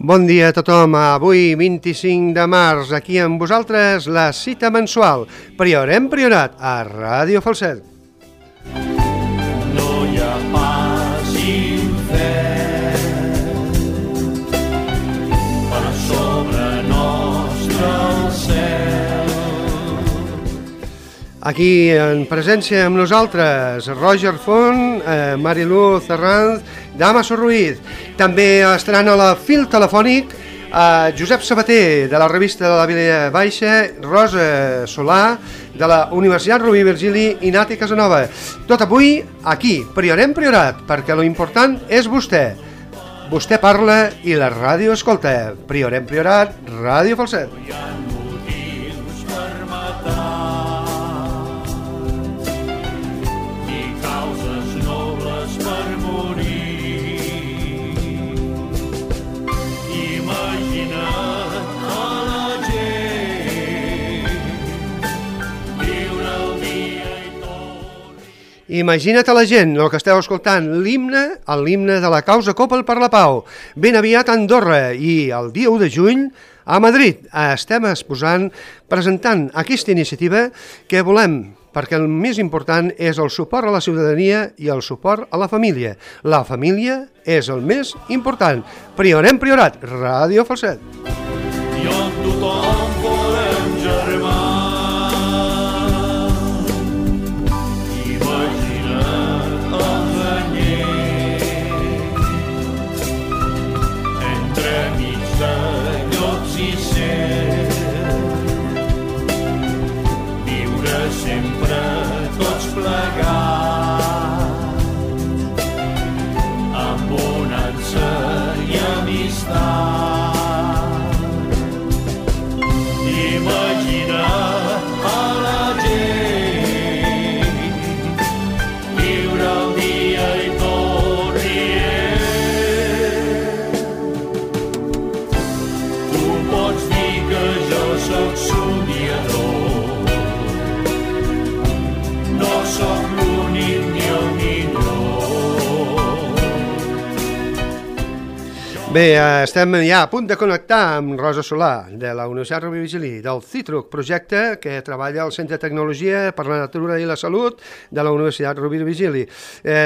Bon dia a tothom, avui 25 de març, aquí amb vosaltres la cita mensual Priorem Priorat a Ràdio Falset. No hi ha pas infern per sobre nostre el cel. Aquí en presència amb nosaltres Roger Font, Mariluz Herranz, Damaso Ruiz. També estaran a la fil telefònic Josep Sabater, de la revista de la Vilella Baixa, Rosa Solà, de la Universitat Rovira i Virgili, i Nati Casanova. Tot avui aquí, Priorem Priorat, perquè lo important és vostè. Vostè parla i la ràdio escolta. Priorem Priorat, Ràdio Falset. No hi ha motius per matar, ni causes nobles per morir. Imagina't a la gent viure el dia i tot. Imagina't a la gent, el que esteu escoltant, l'himne de la causa Copa per la Pau, ben aviat a Andorra, i el dia 1 de juny a Madrid. Estem presentant aquesta iniciativa que volem, perquè el més important és el suport a la ciutadania i el suport a la família. La família és el més important. Priorem Priorat, Ràdio Falset. I on tothom volem germà. Imagina't el banyet entremig de llops i cel, viure sempre tots plegats amb bonança i amistat. Imagina a la gent viure el dia i tot rient. Tu pots dir que jo sóc somiador, no sóc l'únic ni el millor. Bé, estem ja a punt de connectar amb Rosa Solà, de la Universitat Rovira i Virgili, del CITRUC, projecte que treballa al Centre de Tecnologia per la Natura i la Salut de la Universitat Rovira i Virgili.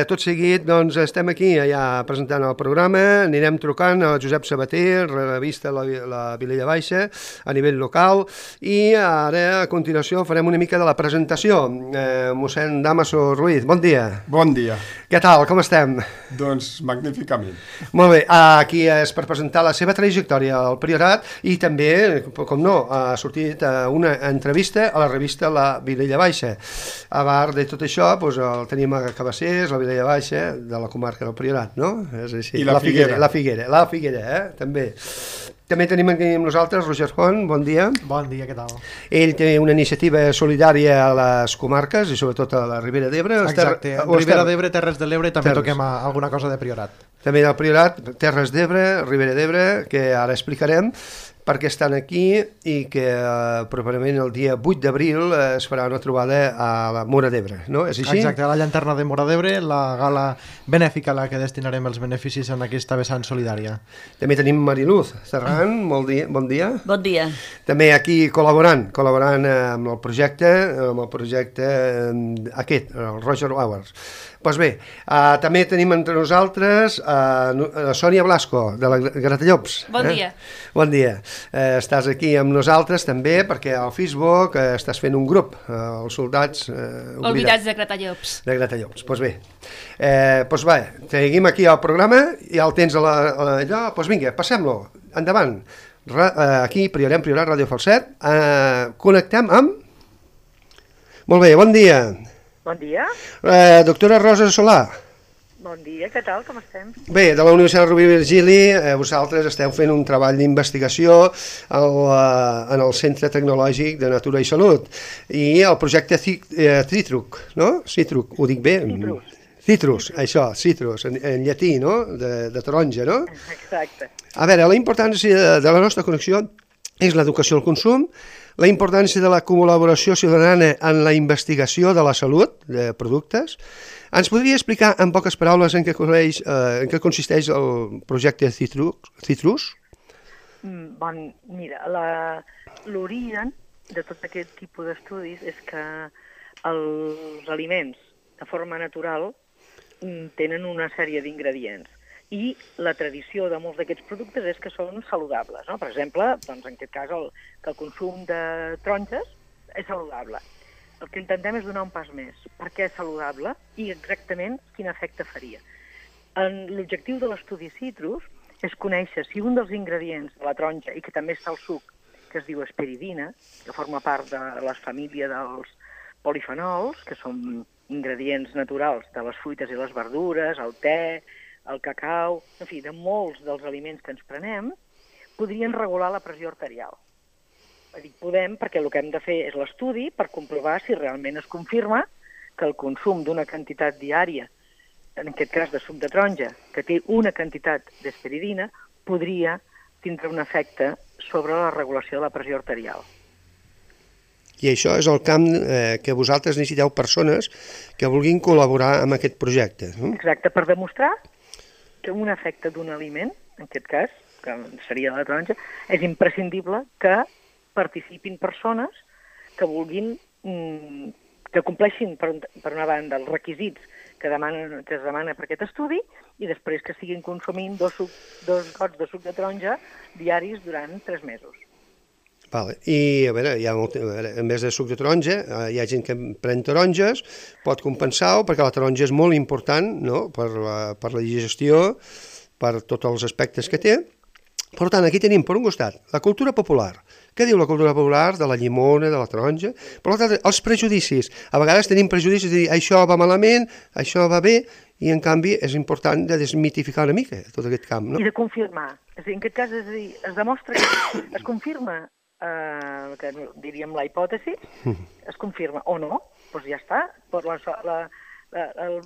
Tot seguit, doncs, estem aquí ja presentant el programa, anirem trucant a Josep Sabater, revista la Vilella Baixa, a nivell local, i ara, a continuació, farem una mica de la presentació. Mossèn Damaso Ruiz, bon dia. Bon dia. Què tal, com estem? Doncs magníficament. Molt bé, aquí és per presentar la seva trajectòria al Priorat i també, com no, ha sortit una entrevista a la revista La Vilella Baixa. A part de tot això, doncs, el tenim a Cabassers, la Vilella Baixa, de la comarca del Priorat, no? És així. I la Figuera. La Figuera, també. També tenim aquí amb nosaltres Roger Font, bon dia. Bon dia, què tal? Ell té una iniciativa solidària a les comarques i sobretot a la Ribera d'Ebre. Exacte, Ribera d'Ebre, Terres de l'Ebre, també toquem alguna cosa de Priorat. També del Priorat, Terres d'Ebre, Ribera d'Ebre, que ara explicarem perquè estan aquí i que properament el dia 8 d'abril es farà una trobada a la Móra d'Ebre, no? És així? Exacte, a la llanterna de Móra d'Ebre, la gala benèfica a la que destinarem els beneficis en aquesta vessant solidària. També tenim Mariluz Herranz, bon dia. Bon dia. També aquí col·laborant amb el projecte aquest, el Roger Hours. Doncs bé, també tenim entre nosaltres Sònia Blasco, de la Gratallops. Bon dia. Bon dia. Estàs aquí amb nosaltres també perquè al Facebook estàs fent un grup, els soldats Oblidats de Gratallops. De Gratallops, doncs bé. Doncs va, seguim aquí al programa, ja el tens allò, doncs vinga, passem-lo, endavant. Aquí, Priorem Priorat, Ràdio Falset, connectem amb... Molt bé, bon dia. Bon dia. Doctora Rosa Solà. Bon dia, què tal, com estem? Bé, de la Universitat Rovira i Virgili, vosaltres esteu fent un treball d'investigació en el Centre Tecnològic de Natura i Salut i el projecte CITRUC, no? CITRUC, ho dic bé? Citrus, això, citrus, en llatí, no? De taronja, no? Exacte. A veure, la importància de la nostra connexió és l'educació al consum, la importància de la col·laboració ciutadana en la investigació de la salut de productes. Ens podria explicar en poques paraules en què consisteix el projecte Citrus? Mira, l'origen de tot aquest tipus d'estudis és que els aliments de forma natural tenen una sèrie d'ingredients i la tradició de molts d'aquests productes és que són saludables, no? Per exemple, doncs, en aquest cas, que el consum de taronges és saludable. El que intentem és donar un pas més. Per què és saludable i exactament quin efecte faria. L'objectiu de l'estudi Citrus és conèixer si un dels ingredients de la taronja, i que també està al suc, que es diu esperidina, que forma part de la família dels polifenols, que són ingredients naturals de les fruites i les verdures, el te, el cacau, en fi, de molts dels aliments que ens prenem, podrien regular la pressió arterial. Dic podem perquè el que hem de fer és l'estudi per comprovar si realment es confirma que el consum d'una quantitat diària, en aquest cas de suc de taronja, que té una quantitat d'esperidina, podria tindre un efecte sobre la regulació de la pressió arterial. I això és el camp que vosaltres necessiteu persones que vulguin col·laborar amb aquest projecte. Exacte, per demostrar que un efecte d'un aliment, en aquest cas, que seria la taronja, és imprescindible que participin persones que vulguin, que compleixin, per una banda, els requisits que es demana per aquest estudi i després que estiguin consumint dos gots de suc de taronja diaris durant 3 mesos. Vale. I, a veure, en vez de suc de taronja, hi ha gent que pren taronges, pot compensar-ho, perquè la taronja és molt important, no?, per la digestió, per tots els aspectes que té. Per tant, aquí tenim, per un costat, la cultura popular. Què diu la cultura popular de la llimona, de la taronja? Per l'altre, els prejudicis. A vegades tenim prejudicis de dir això va malament, això va bé, i en canvi és important de desmitificar una mica tot aquest camp, no? I de confirmar. És a dir, en aquest cas, és a dir, es demostra que es confirma, que diríem la hipòtesi, es confirma o no, doncs ja està.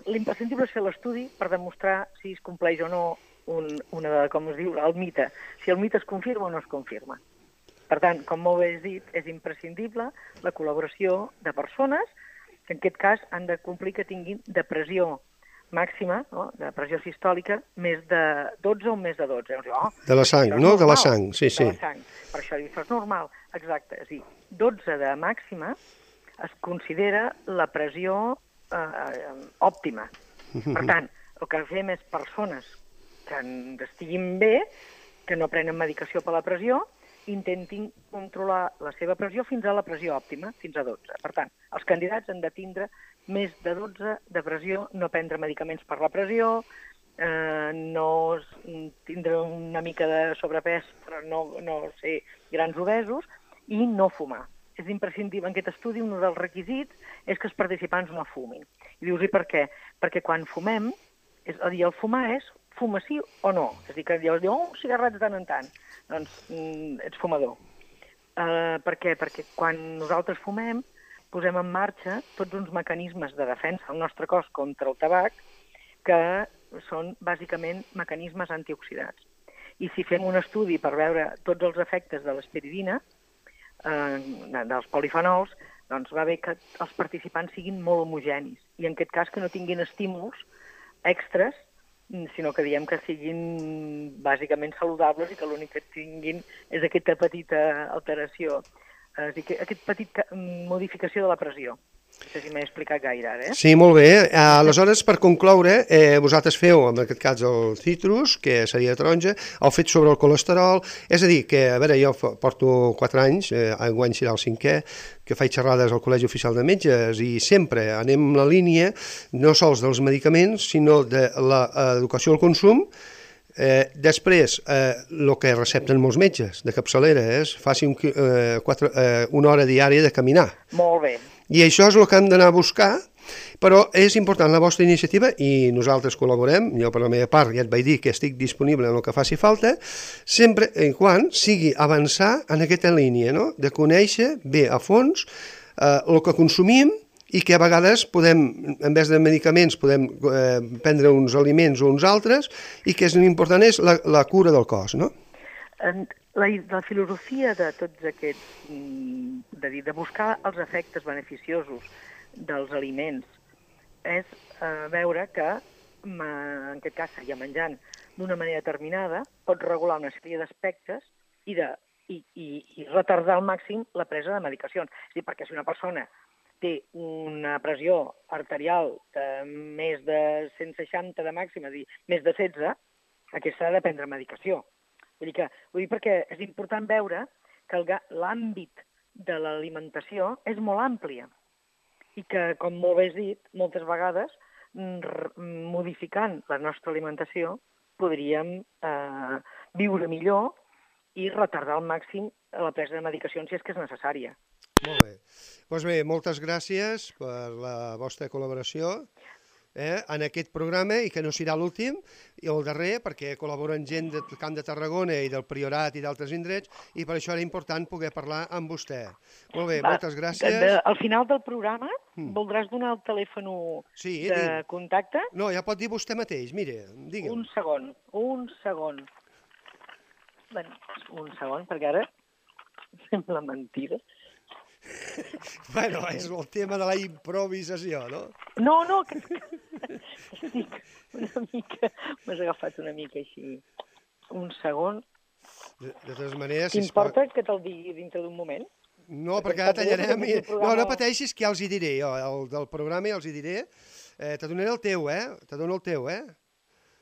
L'imprescindible és fer l'estudi per demostrar si es compleix o no com es diu, el mite. Si el mite es confirma o no es confirma. Per tant, com molt bé has dit, és imprescindible la col·laboració de persones que en aquest cas han de complir que tinguin de pressió màxima, no?, de pressió sistòlica, més de 12 o més de 12. De la sang, no? De la sang, sí, sí. De la sang. Per això això és normal, exacte. És a dir, 12 de màxima es considera la pressió òptima. Per tant, el que fem és persones que estiguin bé, que no prenen medicació per la pressió, intentin controlar la seva pressió fins a la pressió òptima, fins a 12. Per tant, els candidats han de tindre més de 12 de pressió, no prendre medicaments per la pressió, no tindre una mica de sobrepès, però no ser grans obesos, i no fumar. És imprescindible. En aquest estudi, un dels requisits és que els participants no fumin. I dius, i per què? Perquè quan fumem, és a dir, el fumar és fuma sí o no. És a dir, que llavors diu, un cigarret de tant en tant. Doncs ets fumador. Per què? Perquè quan nosaltres fumem posem en marxa tots uns mecanismes de defensa al nostre cos contra el tabac que són bàsicament mecanismes antioxidants. I si fem un estudi per veure tots els efectes de l'esperidina, dels polifenols, doncs va bé que els participants siguin molt homogenis i en aquest cas que no tinguin estímuls extres, sinó que diem que siguin bàsicament saludables i que l'únic que tinguin és aquesta petita alteració, és a dir, aquesta petita modificació de la pressió. No sé si m'he explicat gaire ara, eh? Sí, molt bé. Aleshores, per concloure, vosaltres feu, en aquest cas, el citrus, que seria taronja, heu fet sobre el colesterol, és a dir, que, a veure, jo porto 4 anys, enguany serà el 5è, que faig xerrades al Col·legi Oficial de Metges i sempre anem en la línia no sols dels medicaments, sinó de l'educació al consum. Després, el que recepten molts metges de capçalera és faci una hora diària de caminar. Molt bé. I això és el que hem d'anar a buscar, però és important la vostra iniciativa i nosaltres col·laborem. Jo per la meva part ja et vaig dir que estic disponible en el que faci falta, sempre en quan sigui avançar en aquesta línia, no?, de conèixer bé a fons el que consumim i que a vegades podem, en vez de medicaments, podem prendre uns aliments o uns altres i que és important és la cura del cos, no? La filosofia de tots aquests, de buscar els efectes beneficiosos dels aliments és veure que, en aquest cas, ja menjant d'una manera determinada, pot regular una sèrie d'aspectes i retardar al màxim la presa de medicacions. És a dir, perquè si una persona té una pressió arterial de més de 160 de màxima, és a dir, més de 16, aquesta ha de prendre medicació. Vull dir perquè és important veure que l'àmbit de l'alimentació és molt àmplia i que, com molt bé has dit, moltes vegades, modificant la nostra alimentació, podríem viure millor i retardar al màxim la presa de medicacions si és que és necessària. Molt bé. Doncs bé, moltes gràcies per la vostra col·laboració en aquest programa i que no serà l'últim i el darrer perquè col·laboren gent del Camp de Tarragona i del Priorat i d'altres indrets i per això era important poder parlar amb vostè. Molt bé, moltes gràcies. Al final del programa voldràs donar el telèfon de contacte? No, ja pot dir vostè mateix, mire, digue'm. Un segon. Bueno, un segon, perquè ara sembla mentida. Bueno, és el tema de la improvisació, no? No, que estic una mica... M'has agafat una mica així. Un segon. De totes maneres... T'importa que te'l digui dintre d'un moment? No, perquè ara tallarem... No pateixis, que ja els hi diré jo, el del programa ja els hi diré. Te donaré el teu, Te dono el teu,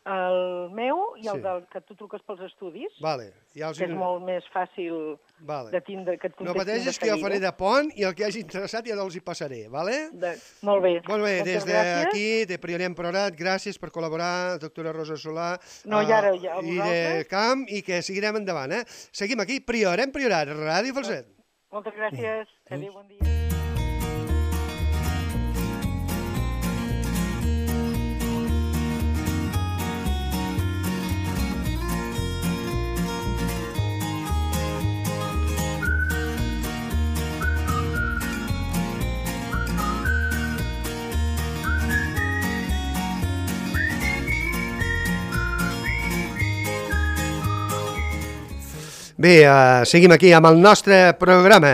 El meu i el del que tu truques pels estudis, vale, ja que és molt més fàcil de tindre que et contestin de seguida. No pateixis que jo faré de pont i el que hagi interessat ja els hi passaré, vale? Molt bé. Molt bé, des d'aquí, de Priorat Priorat, gràcies per col·laborar, doctora Rosa Solà, i de Camp, i que seguirem endavant, Seguim aquí, Priorat, Ràdio Falset. Moltes gràcies, adéu, bon dia. Bé, seguim aquí amb el nostre programa,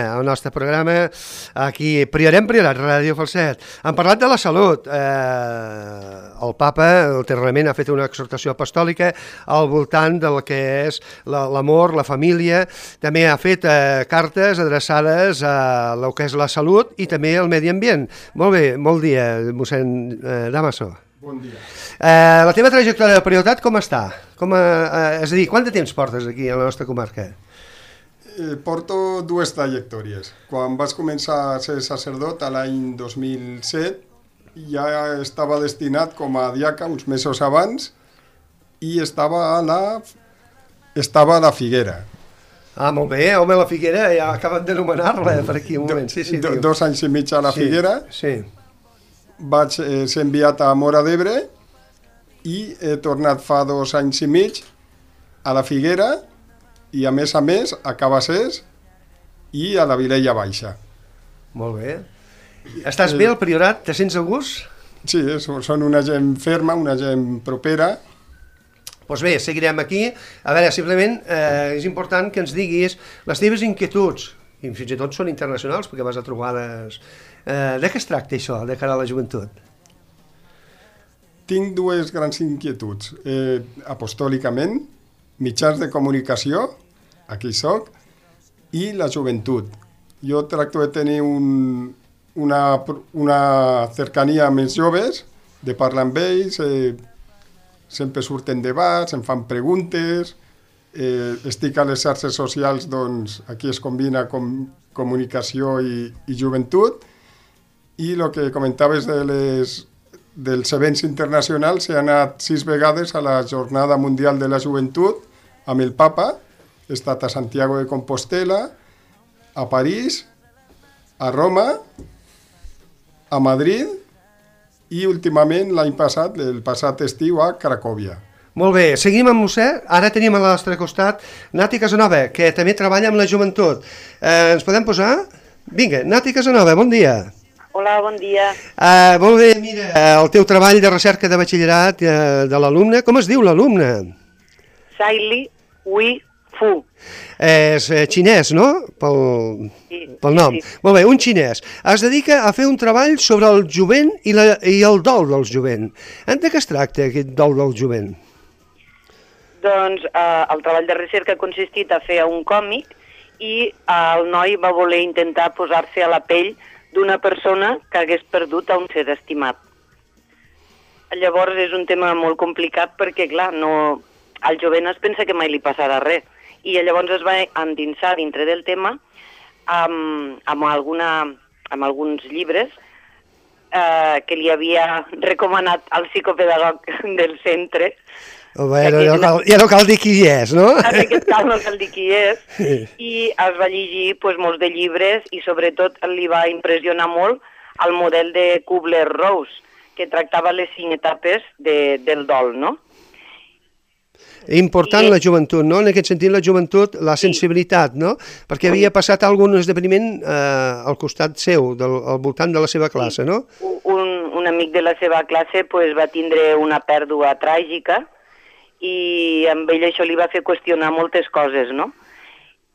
aquí, Priorat, Ràdio Falset. Hem parlat de la salut. El papa, ulteriorment, ha fet una exhortació apostòlica al voltant del que és l'amor, la família. També ha fet cartes adreçades a el que és la salut i també al medi ambient. Molt bé, molt dia, mossèn Damaso. Bon dia. La teva trajectòria de prioritat com està? És a dir, quant de temps portes aquí a la nostra comarca? Porto dues trajectòries. Quan vaig començar a ser sacerdot a l'any 2007 ja estava destinat com a diaca uns mesos abans i estava a la Figuera. Ah, molt bé, home, la Figuera, ja acaben de nomenar-la per aquí un moment. Sí, 2 anys i mig a la Figuera. Sí. Vaig ser enviat a Móra d'Ebre i he tornat fa 2 anys i mig a la Figuera i a més a Cabassers i a la Vilella Baixa. Molt bé. Estàs bé al Priorat? Te sents a gust? Sí, són una gent ferma, una gent propera. Doncs bé, seguirem aquí. A veure, simplement és important que ens diguis les teves inquietuds, i fins i tot són internacionals perquè vas a trobades... De què es tracta això, de cara a la joventut? Tinc 2 grans inquietuds. Apostòlicament, mitjans de comunicació, aquí soc, i la joventut. Jo tracto de tenir una cercania amb els joves, de parlar amb ells, sempre surten debats, em fan preguntes, estic a les xarxes socials, doncs aquí es combina comunicació i joventut, i el que comentaves dels events internacionals, he anat 6 vegades a la Jornada Mundial de la Joventut amb el Papa, he estat a Santiago de Compostela, a París, a Roma, a Madrid i últimament l'any passat, el passat estiu, a Cracòvia. Molt bé, seguim amb vostè. Ara tenim al nostre costat Nati Casanova, que també treballa amb la joventut. Ens podem posar? Vinga, Nati Casanova, bon dia. Hola, bon dia. Molt bé, mira, el teu treball de recerca de batxillerat de l'alumne, com es diu l'alumne? Saili Hui Fu. És xinès, no? Pel nom. Sí. Molt bé, un xinès. Es dedica a fer un treball sobre el jovent i el dol del jovent. De què es tracta aquest dol del jovent? Doncs el treball de recerca ha consistit a fer un còmic i el noi va voler intentar posar-se a la pell d'una persona que hagués perdut a un ser estimat. Llavors és un tema molt complicat perquè, clar, el jovent es pensa que mai li passarà res. I llavors es va endinsar dintre del tema amb alguns llibres que li havia recomanat el psicopedagog del centre. Home, ja no cal dir qui és, no? En aquest cas no cal dir qui és. I es va llegir molts de llibres i sobretot li va impressionar molt el model de Kubler-Ross, que tractava les 5 etapes del dol, no? Important la joventut, no? En aquest sentit, la joventut, la sensibilitat, no? Perquè havia passat algun esdeveniment al costat seu, al voltant de la seva classe, no? Un amic de la seva classe va tindre una pèrdua tràgica i amb ell això li va fer qüestionar moltes coses, no?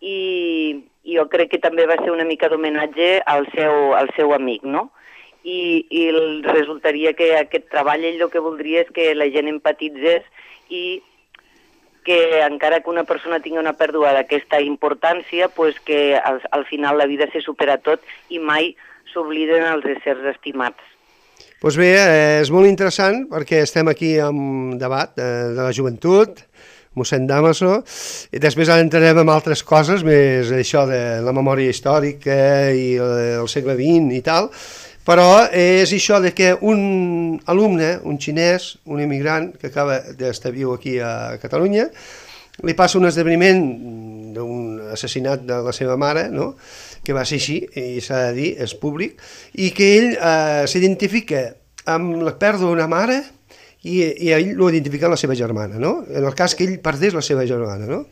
I jo crec que també va ser una mica d'homenatge al seu amic, no? I resultaria que aquest treball ell el que voldria és que la gent empatitzés i que encara que una persona tingui una pèrdua d'aquesta importància, que al final la vida se supera tot i mai s'obliden els éssers estimats. Doncs bé, és molt interessant perquè estem aquí amb debat de la joventut, mossèn Damaso, i després entrarem en altres coses, més això de la memòria històrica i el segle XX i tal, però és això de que un alumne, un xinès, un immigrant que acaba d'estar viu aquí a Catalunya, li passa un esdeveniment d'un assassinat de la seva mare, no? Que va ser així, i s'ha de dir, és públic, i que ell s'identifica amb la pèrdua d'una mare i ell l'ho identifica amb la seva germana, no? En el cas que ell perdés la seva germana, no?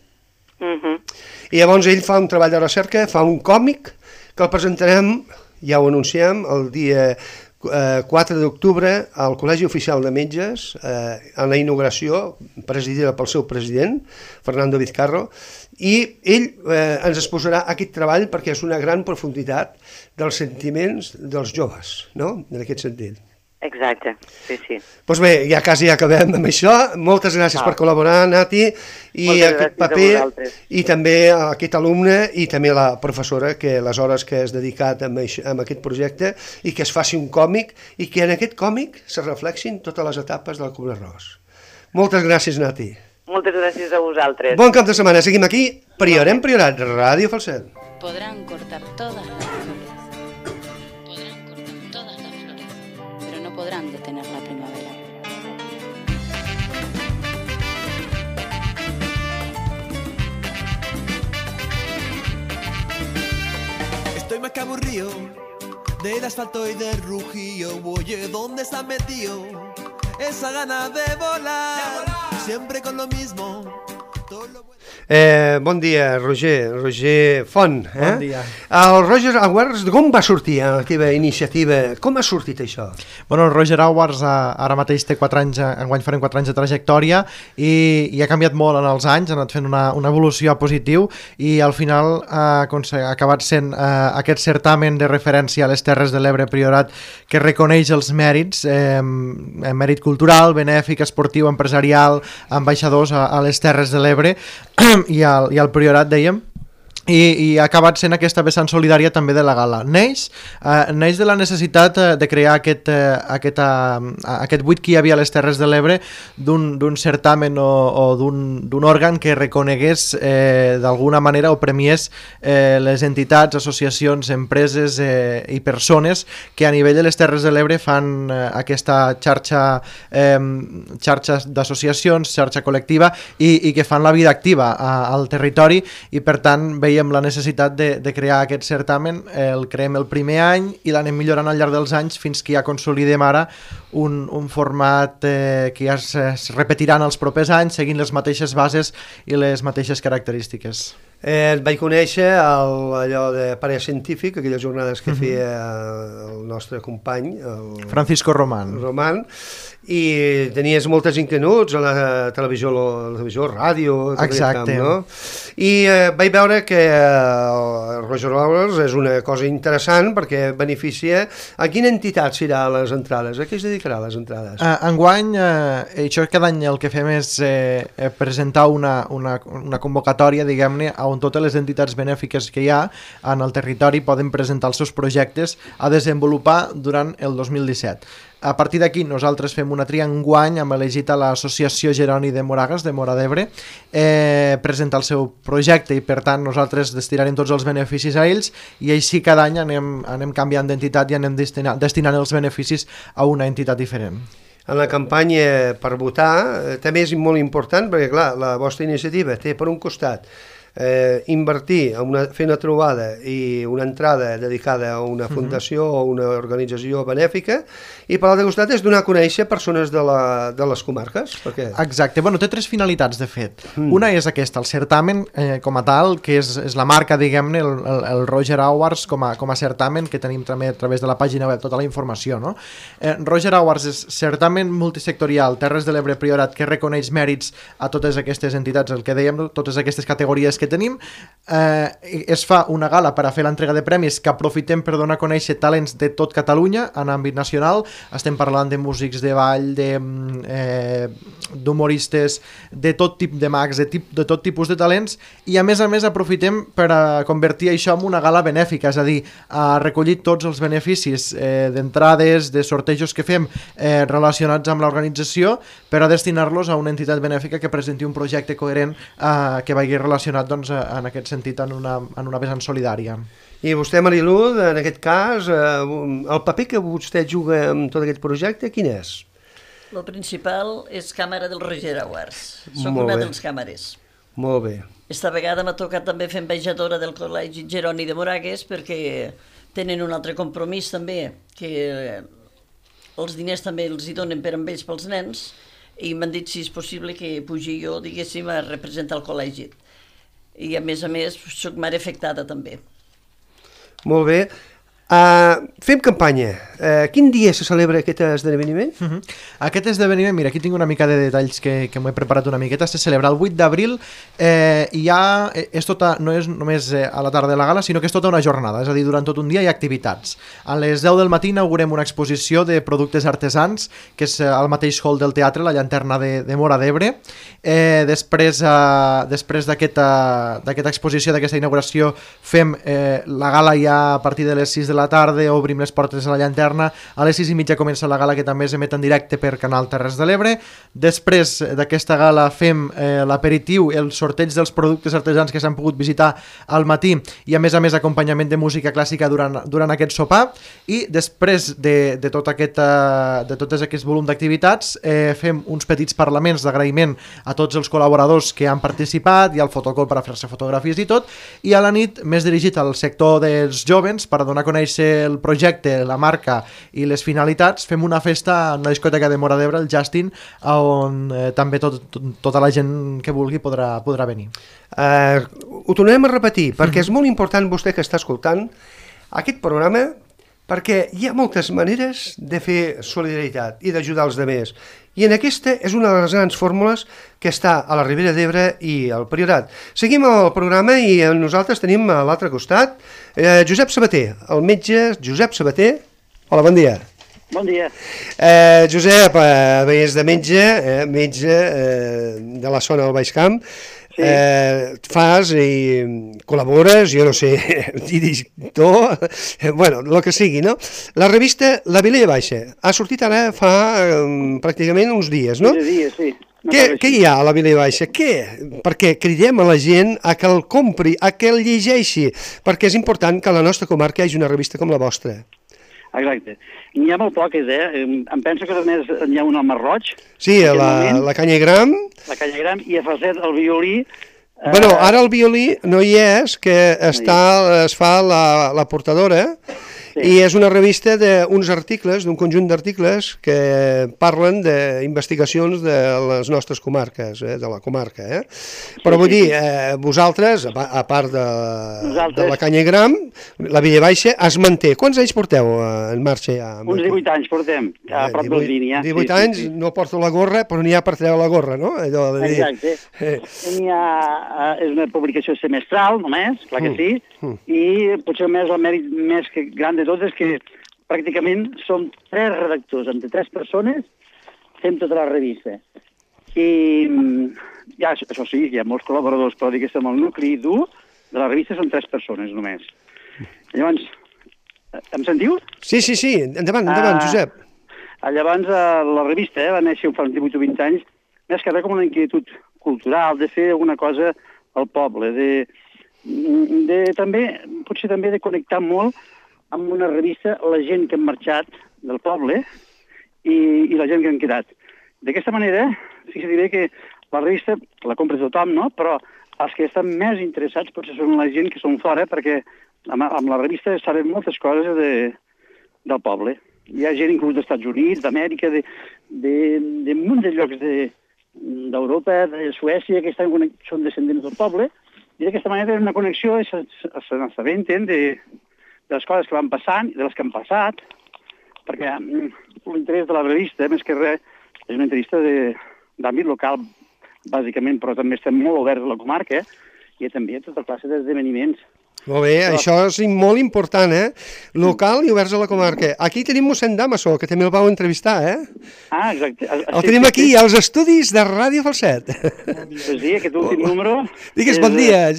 I llavors ell fa un treball de recerca, fa un còmic que el presentarem, ja ho anunciem, el dia 4 d'octubre al Col·legi Oficial de Metges, en la inauguració, presidida pel seu president, Fernando Vizcarro, i ell ens exposarà aquest treball perquè és una gran profunditat dels sentiments dels joves, no?, en aquest sentit. Exacte, sí. Doncs bé, ja quasi acabem amb això. Moltes gràcies per col·laborar, Nati, i aquest paper, i també aquest alumne, i també la professora, que les hores que has dedicat a aquest projecte, i que es faci un còmic, i que en aquest còmic se reflexin totes les etapes del Kubler-Ross. Moltes gràcies, Nati. Moltes gràcies a vosaltres. Bon cap de setmana. Seguim aquí, Priorem Priorat, Ràdio Falset. Podrán cortar todas las flores. Podrán detener la primavera. Estoy más que aburrido del asfalto y del rugío. Oye, ¿dónde se ha metido esa gana de volar? Siempre con lo mismo. Bon dia, Roger Font. Bon dia. El Roger Awards, com va sortir la teva iniciativa? Com ha sortit això? Bueno, el Roger Awards ara mateix té 4 anys, enguany farem 4 anys de trajectòria i ha canviat molt en els anys, ha anat fent una evolució a positiu i al final ha acabat sent aquest certamen de referència a les Terres de l'Ebre Priorat que reconeix els mèrits, mèrit cultural, benèfic, esportiu, empresarial, ambaixadors a les Terres de l'Ebre i al Priorat, dèiem, i ha acabat sent aquesta vessant solidària també de la gala. Neix de la necessitat de crear aquest buit que hi havia a les Terres de l'Ebre d'un certamen o d'un òrgan que reconegués d'alguna manera o premiés les entitats, associacions, empreses i persones que a nivell de les Terres de l'Ebre fan aquesta xarxa d'associacions, xarxa col·lectiva i que fan la vida activa al territori i per tant veiem la necessitat de crear aquest certamen, el creem el primer any i l'anem millorant al llarg dels anys fins que ja consolidem ara un format que ja es repetirà en els propers anys seguint les mateixes bases i les mateixes característiques. Et vaig conèixer allò de Parell Científic, aquelles jornades que feia el nostre company, el Francisco Román, I tenies moltes inquietuds a la televisió, ràdio, tot exacte. camp, no? I vaig veure que Roger Hours és una cosa interessant perquè beneficia... A quina entitat serà les entrades? A què es dedicarà les entrades? Enguany, això cada any el que fem és presentar una convocatòria, diguem-ne, on totes les entitats benèfiques que hi ha en el territori poden presentar els seus projectes a desenvolupar durant el 2017. A partir d'aquí nosaltres fem una tria enguany, hem elegit a l'Associació Jeroni de Moragas, de Móra d'Ebre, presentar el seu projecte i per tant nosaltres destinarem tots els beneficis a ells i així cada any anem canviant d'entitat i anem destinant els beneficis a una entitat diferent. En la campanya per votar també és molt important perquè clar, la vostra iniciativa té per un costat invertir, fer una trobada i una entrada dedicada a una fundació o una organització benèfica i per l'altre costat és donar a conèixer persones de les comarques. Perquè... Exacte, bueno, té tres finalitats de fet. Una és aquesta, el certamen com a tal, que és la marca, diguem-ne, el Roger Awards com a certamen que tenim també a través de la pàgina web tota la informació, no? Roger Awards és certamen multisectorial, Terres de l'Ebre Priorat, que reconeix mèrits a totes aquestes entitats, el que dèiem, totes aquestes categories que tenim. Es fa una gala per a fer l'entrega de premis que aprofitem per donar a conèixer talents de tot Catalunya en àmbit nacional. Estem parlant de músics de ball, d'humoristes, de tot tipus de mags, de tot tipus de talents i a més aprofitem per a convertir això en una gala benèfica, és a dir, a recollir tots els beneficis d'entrades, de sortejos que fem relacionats amb l'organització per a destinar-los a una entitat benèfica que presenti un projecte coherent que vagi relacionat doncs, en aquest sentit en una vessant solidària. I vostè, Marilú, en aquest cas, el paper que vostè juga en tot aquest projecte, quin és? El principal és càmera del Roger Awards. Soc Molt una bé. dels càmeres. Molt bé. Esta vegada m'ha tocat també fer ambaixadora del Col·legi Jeroni de Moragas perquè tenen un altre compromís també, que els diners també els hi donen per amb ells pels nens i m'han dit si és possible que pugi jo, diguéssim, a representar el col·legi. I a més, soc mare afectada també. Molt bé. Fem campanya. Quin dia se celebra aquest esdeveniment? Aquest esdeveniment, mira, aquí tinc una mica de detalls que m'ho he preparat una miqueta. Se celebra el 8 d'abril i no és només a la tarda de la gala, sinó que és tota una jornada, és a dir, durant tot un dia hi ha activitats. A les 10 del matí inaugurem una exposició de productes artesans, que és al mateix hall del teatre, la Llanterna de Móra d'Ebre. Després d'aquesta exposició, d'aquesta inauguració, fem la gala ja a partir de les 6 de la tarda, obrim les portes a la Llanterna, a les 6:30 comença la gala que també s'emet en directe per Canal Terres de l'Ebre. Després d'aquesta gala fem l'aperitiu, el sorteig dels productes artesans que s'han pogut visitar al matí i a més acompanyament de música clàssica durant aquest sopar i després de tot aquest volum d'activitats fem uns petits parlaments d'agraïment a tots els col·laboradors que han participat i al fotocol per a fer-se fotografies i tot, i a la nit més dirigit al sector dels jovens per a donar a conèixer el projecte, la marca i les finalitats, fem una festa en una discoteca de Móra d'Ebre, el Justin, on també tota la gent que vulgui podrà venir. Ho tornarem a repetir, perquè és molt important vostè que està escoltant aquest programa, perquè hi ha moltes maneres de fer solidaritat i d'ajudar els altres. I en aquesta és una de les grans fórmules que està a la Ribera d'Ebre i al Priorat. Seguim el programa i nosaltres tenim a l'altre costat Josep Sabater, el metge Josep Sabater. Hola, bon dia. Bon dia. Josep, és de metge de la zona del Baix Camp. Sí. Fas i col·labores, jo no sé, editor, bueno, el que sigui, no? La revista La Vilella Baixa ha sortit ara fa pràcticament uns dies, no? 15 dies, sí. Què hi ha a La Vilella Baixa? Perquè cridem a la gent a que el compri, a que el llegeixi, perquè és important que a la nostra comarca hi hagi una revista com la vostra. Exacte. N'hi ha molt poques, em penso que només n'hi ha un al Marroig. Sí, la Canyagram. La Canyagram i a Falset el violí. Bueno, ara el violí no hi és, que es fa la portadora, i és una revista d'uns articles, d'un conjunt d'articles que parlen d'investigacions de les nostres comarques, de la comarca. Però vull dir, vosaltres, a part de la Canyagram, la Vilabaixa es manté. Quants anys porteu en marxa ja? Uns 18 anys portem, a prop del Línia. 18 anys, no porto la gorra, però n'hi ha per treure la gorra, no? Allò de dir... Exacte. És una publicació semestral, només, clar que sí, i potser més el mèrit més gran de tot és que pràcticament som 3 redactors, entre 3 persones, fem tota la revista. I ja, això sí, hi ha molts col·laboradors, però diguéssim, el nucli dur de la revista són 3 persones només. Llavors, em sentiu? Sí, endavant, Josep. Llavors, la revista va néixer fa uns 18 o 20 anys, més que res com una inquietud cultural, de fer alguna cosa al poble, potser també de connectar molt amb una revista la gent que han marxat del poble i la gent que han quedat. D'aquesta manera, fixa't bé que la revista la compra tothom, no? Però els que estan més interessats potser són la gent que són fora, perquè amb la revista saben moltes coses del poble. Hi ha gent inclús dels Estats Units, d'Amèrica, de munt de llocs d'Europa, de Suècia, que són descendents del poble, i d'aquesta manera tenen una connexió i s'assabenten de les coses que van passant i de les que han passat, perquè l'interès de la revista, més que res, és una entrevista d'àmbit local, bàsicament, però també estem molt oberts a la comarca i també a tota classe d'esdeveniments. Molt bé, això és molt important, local i oberts a la comarca. Aquí tenim mossèn Damaso, que també el vau entrevistar, Ah, exacte. El tenim aquí, als estudis de Ràdio Falset. Sí, aquest últim número... Digues, bon dia,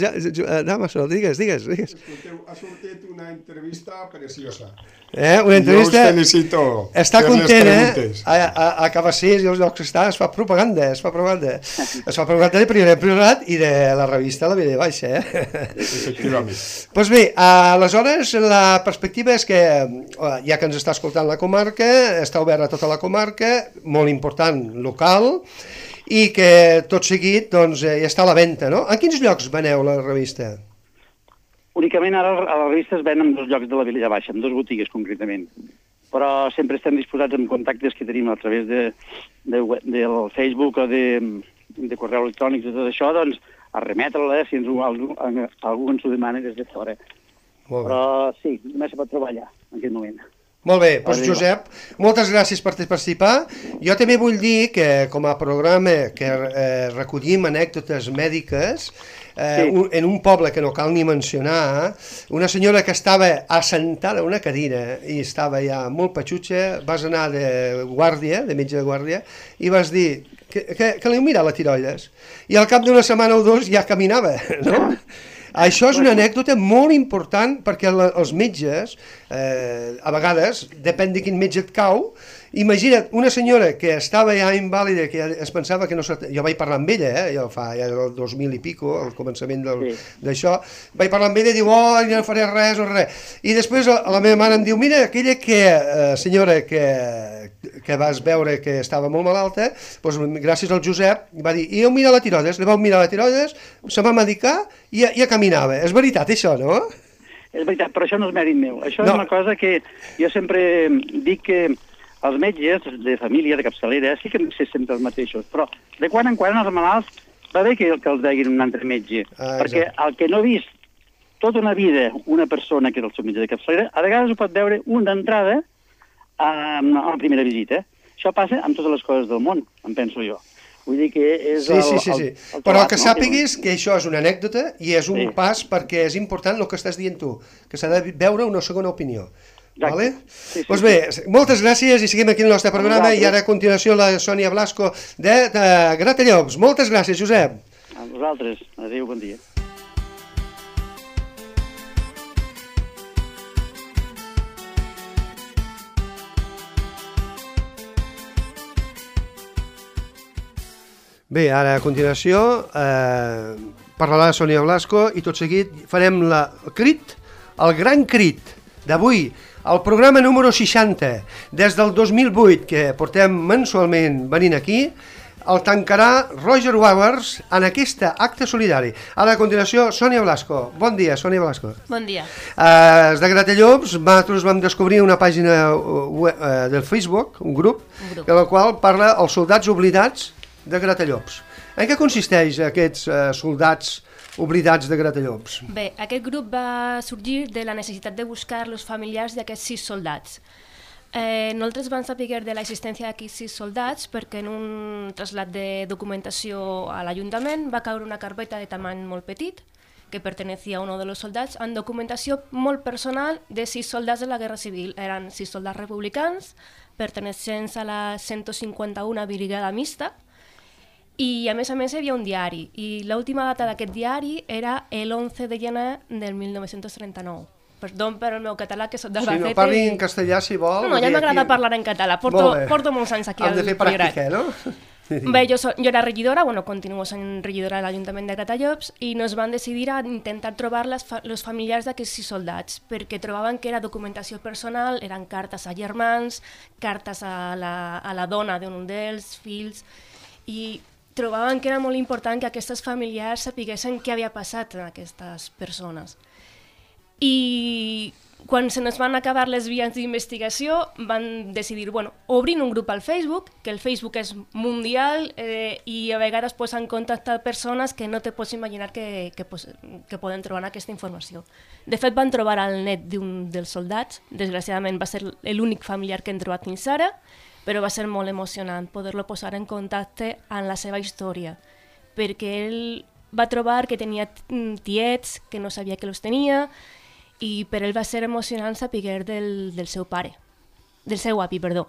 Damaso, digues. Escolteu, ha sortit una entrevista preciosa. Una entrevista... Jo us felicito. Està content, a Cabassers i els llocs que està, es fa propaganda. Es fa propaganda de Priorat i de la revista La Vilabaixa, Efectivament. Doncs bé, aleshores la perspectiva és que, ja que ens està escoltant la comarca, està oberta a tota la comarca, molt important, local, i que tot seguit doncs, ja està a la venda, no? En quins llocs veneu la revista? Únicament ara a la revista es ven en 2 llocs de la Vilabaixa, en 2 botigues concretament. Però sempre estem disposats en contactes que tenim a través del Facebook o de correu electrònic i tot això, doncs, a remetre-la si algú ens ho demana des de fora. Però sí, només se pot treballar en aquest moment. Molt bé, doncs Josep, moltes gràcies per participar. Jo també vull dir que com a programa que recollim anècdotes mèdiques, en un poble que no cal ni mencionar, una senyora que estava assentada a una cadira i estava ja molt patxutxa, vas anar de guàrdia, de metge de guàrdia, i vas dir que li mira la tiroides. I al cap d'una setmana o 2 ja caminava, no? Això és una anècdota molt important perquè els metges, a vegades, depèn de quin metge et cau, imagina't una senyora que estava ja invàlida, que es pensava que no... Jo vaig parlar amb ella, jo fa ja el 2000 i pico, al començament d'això, vaig parlar amb ella i diu, no faré res o res. I després la meva mare em diu, mira, aquella senyora que vas veure que estava molt malalta, doncs gràcies al Josep, va dir, i jo mira la tiroides, li vau mirar la tiroides, se va medicar i ja caminava. És veritat això, no? És veritat, però això no és mèrit meu. Això és una cosa que jo sempre dic que els metges de família, de capçalera, sí que han de ser sempre els mateixos, però de quan en quan els malalts va bé que els veguin un altre metge, perquè el que no ha vist tota una vida una persona que és el seu metge de capçalera, a vegades ho pot veure un d'entrada a la primera visita. Això passa amb totes les coses del món, em penso jo. Vull dir que és sí. Però que sàpiguis que això és una anècdota i és un pas perquè és important el que estàs dient tu, que s'ha de veure una segona opinió. Vale? Doncs bé, moltes gràcies i seguim aquí el nostre programa i ara a continuació la Sònia Blasco de Gratallops. Moltes gràcies, Josep. A vosaltres. Adéu, bon dia. Bé, ara a continuació parlarà la Sònia Blasco i tot seguit farem el gran crit d'avui, el programa número 60, des del 2008, que portem mensualment venint aquí, el tancarà Roger Waters en aquesta acte solidari. Ara, a continuació, Sònia Blasco. Bon dia, Sònia Blasco. Bon dia. Des de Gratallops, nosaltres vam descobrir una pàgina del Facebook, un grup, en la qual parla els soldats oblidats de Gratallops. En què consisteix aquests soldats oblidats de Gratallops? Bé, aquest grup va sorgir de la necessitat de buscar els familiars d'aquests 6 soldats. Nosaltres vam saber de l'existència d'aquests 6 soldats perquè en un trasllat de documentació a l'Ajuntament va caure una carpeta de tamany molt petit que pertenecía a uno de los soldats amb documentació molt personal de 6 soldats de la Guerra Civil. Eren 6 soldats republicans pertenecents a la 151 Brigada Mixta i a més hi havia un diari i l'última data d'aquest diari era l'11 de gener del 1939. Perdó per el meu català, que soc d'Albacete. Si no parli en castellà, si vol. No, ja m'agrada parlar en català. Porto molts anys aquí al Priorat. Hem de fer pràctica, no? Bé, jo era regidora, continuo sent regidora de l'Ajuntament de Gratallops i nos van decidir a intentar trobar els familiars d'aquests 6 soldats perquè trobaven que era documentació personal, eren cartes a germans, cartes a la dona d'un dels fills i trobaven que era molt important que aquestes familiars sapiguessin què havia passat en aquestes persones. I quan se nos van acabar les vies d'investigació van decidir, obrin un grup al Facebook, que el Facebook és mundial i a vegades han contactat persones que no te pots imaginar que poden trobar aquesta informació. De fet, van trobar el net d'un dels soldats, desgraciadament va ser l'únic familiar que hem trobat fins ara, però va ser molt emocionant poder-lo posar en contacte amb la seva història, perquè ell va trobar que tenia tiets, que no sabia que els tenia, i per ell va ser emocionant saber del seu pare, del seu avi, perdó.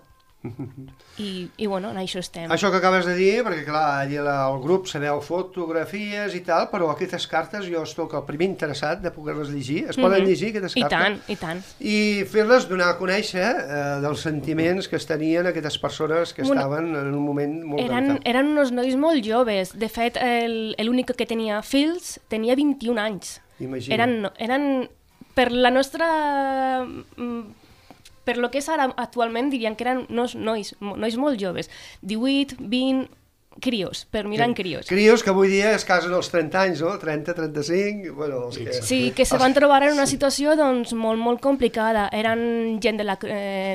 I en això estem. Això que acabes de dir, perquè clar, allà al grup sabeu fotografies i tal, però aquestes cartes jo estic el primer interessat de poder-les llegir. Es poden llegir aquestes cartes? I tant. I fer-les donar a conèixer dels sentiments que es tenien aquestes persones que estaven en un moment molt delicat. Eren uns nois molt joves. De fet, l'únic que tenia fills tenia 21 anys. Imagina. Eren per la nostra... Per lo que és ara actualment diríem que eren nois molt joves, 18, 20, crios, per mirar en crios. Crios que avui dia es casen als 30 anys, no? 30, 35... Sí, que se van trobar en una situació molt complicada. Eren gent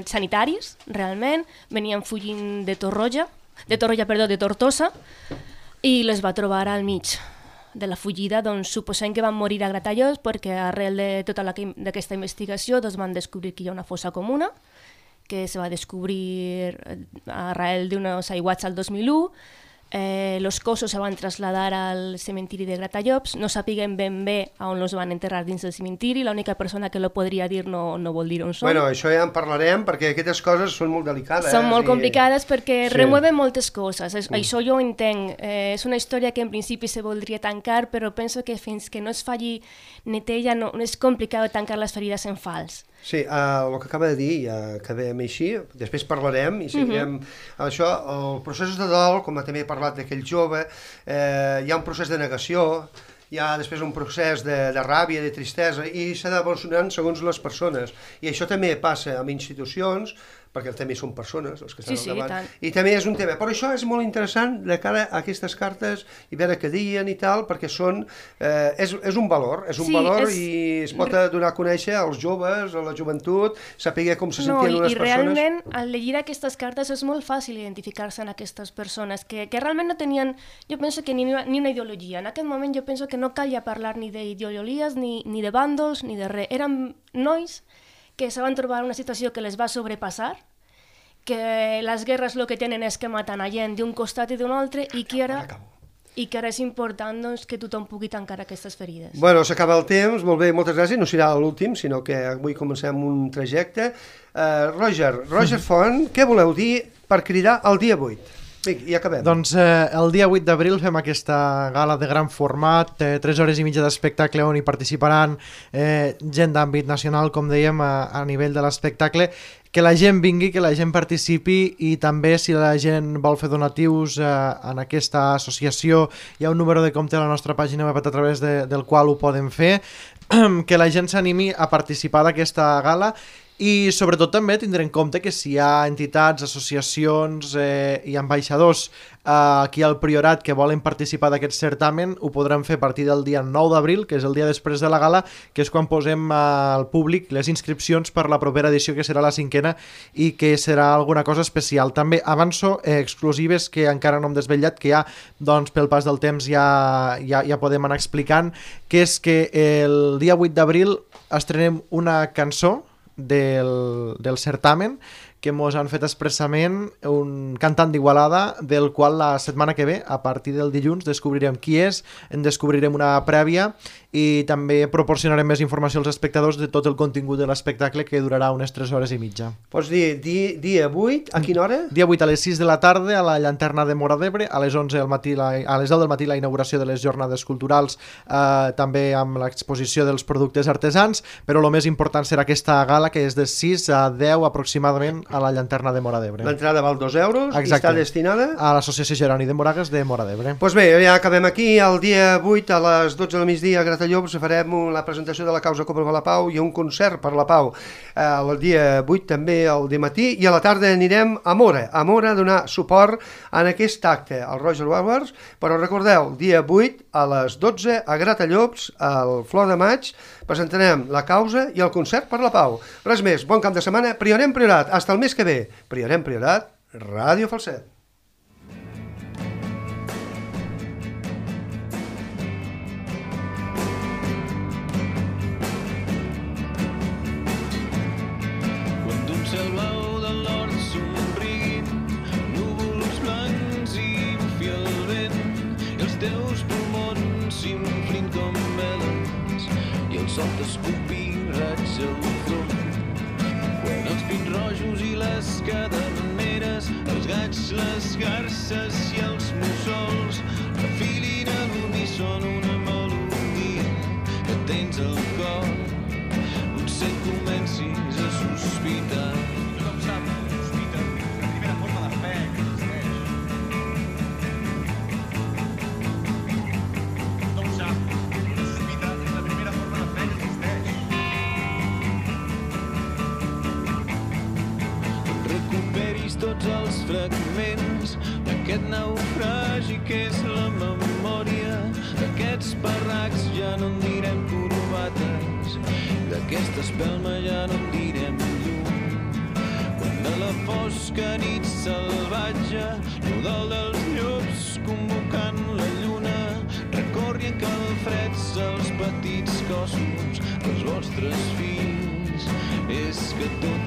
sanitaris, realment, venien fugint de Tortosa, i les va trobar al mig de la fugida, suposem que van morir a Gratallops perquè arrel de tota aquesta investigació van descobrir que hi ha una fossa comuna que se va descobrir arrel d'uns aiguats al 2001. Los cossos se van trasladar al cementiri de Gratallops, no sapiguem ben bé on els van enterrar dins del cementiri, l'única persona que lo podria dir no vol dir on són. Bueno, això ja en parlarem perquè aquestes coses són molt delicades. Són molt complicades perquè remueven moltes coses, això jo ho entenc. És una història que en principi se voldria tancar, però penso que fins que no es faci neteja no és complicat tancar les ferides en fals. Sí, el que acaba de dir, ja acabem així, després parlarem i seguirem això. El procés de dol, com també he parlat d'aquell jove, hi ha un procés de negació, hi ha després un procés de ràbia, de tristesa, i s'ha d'evolucionar segons les persones. I això també passa amb institucions, perquè també són persones els que estan al davant, i també és un tema. Però això és molt interessant de cara a aquestes cartes i veure què diuen i tal, perquè és un valor, i es pot donar a conèixer als joves, a la joventut, saber com se sentien unes persones. I realment, al llegir aquestes cartes és molt fàcil identificar-se en aquestes persones que realment no tenien, jo penso que ni una ideologia. En aquest moment jo penso que no calia parlar ni d'ideologies, ni de bàndols, ni de res. Eren nois que se van trobar una situació que les va sobrepassar, que les guerres el que tenen és que maten a gent d'un costat i d'un altre i que ara és important que tothom pugui tancar aquestes ferides. Bueno, s'acaba el temps, molt bé, moltes gràcies. No serà l'últim, sinó que avui comencem un trajecte. Roger Font, què voleu dir per cridar el dia 8? I acabem. Doncs el dia 8 d'abril fem aquesta gala de gran format, 3 hores i mitja d'espectacle on hi participaran gent d'àmbit nacional, com dèiem, a nivell de l'espectacle. Que la gent vingui, que la gent participi, i també si la gent vol fer donatius en aquesta associació hi ha un número de compte a la nostra pàgina web a través del qual ho poden fer, que la gent s'animi a participar d'aquesta gala I sobretot també tindre en compte que si hi ha entitats, associacions i ambaixadors aquí al Priorat que volen participar d'aquest certamen, ho podran fer a partir del dia 9 d'abril, que és el dia després de la gala, que és quan posem al públic les inscripcions per la propera edició, que serà la 5ª i que serà alguna cosa especial. També avanço exclusives que encara no hem desvetllat, que ja doncs, pel pas del temps ja podem anar explicant, que és que el dia 8 d'abril estrenem una cançó del certamen que mos han fet expressament un cantant d'Igualada, del qual la setmana que ve, a partir del dilluns, descobrirem qui és, en descobrirem una prèvia i també proporcionarem més informació als espectadors de tot el contingut de l'espectacle, que durarà unes 3 hores i mitja. Pots dir dia 8, a quina hora? Dia 8 a les 6 de la tarda a la Llanterna de Móra d'Ebre, a les 11 del matí, a les 10 del matí la inauguració de les jornades culturals, també amb l'exposició dels productes artesans, però el més important serà aquesta gala, que és de 6 a 10 aproximadament a la Llanterna de Móra d'Ebre. L'entrada val 2 euros. Exacte. I està destinada a l'Associació Jeroni de Moragues de Móra d'Ebre. Doncs bé, ja acabem aquí. El dia 8 a les 12 del migdia a Gratallops farem la presentació de la causa Copa per la Pau i un concert per la Pau. El dia 8 també al dematí, i a la tarda anirem a Móra a donar suport en aquest acte al Roger Waters. Però recordeu, dia 8 a les 12 a Gratallops, al Flor de Maig, presentarem la causa i el concert per la Pau. Res més, bon cap de setmana. Priorem Priorat, hasta el mes que ve. Priorem Priorat, Ràdio Falset. Quan d'un cel blau de l'hort somriguin núvols blancs i bufi el vent i els teus pulmons s'inflin com veles i el sol t'escupi raig al front. Quan els pins rojos i les caderneres, els gats, les garces i els mussols refilin a l'uníson una melodia que tens al cor, potser comencis a sospitar. Tothom sap que sospita és la primera forma de fe que existeix. Tothom sap que sospita és la primera forma de fe que existeix. Recuperis tots els fragments d'aquest naufragi que és la memòria, d'aquests parracs ja no en direm corbates, d'aquesta espelma ja no en direm llum. Quan a la fosca nit salvatge, l'udol dels llops convocant la lluna, recorri en calfreds els petits cossos dels vostres fills, és que tot